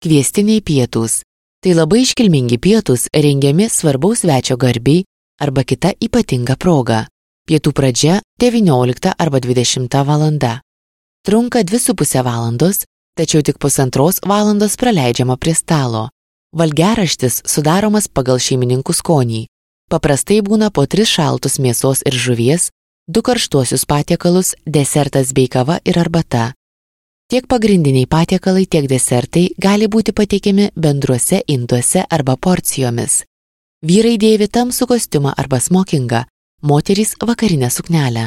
Kviestiniai pietūs. Tai labai iškilmingi pietūs rengiami svarbaus svečio garbei arba kita ypatinga proga. Pietų pradžia 19 arba 20 valanda. Trunka 2,5 valandos, tačiau tik 1,5 valandos praleidžiama prie stalo. Valgiaraštis sudaromas pagal šeimininkų skonį. Paprastai būna po 3 šaltus mėsos ir žuvies, 2 karštuosius patiekalus, desertas bei kava ir arbata. Tiek pagrindiniai patiekalai, tiek desertai gali būti pateikiami bendruose induose arba porcijomis. Vyrai dėvi tamsų kostiumą arba smokingą, moterys vakarinę suknelę.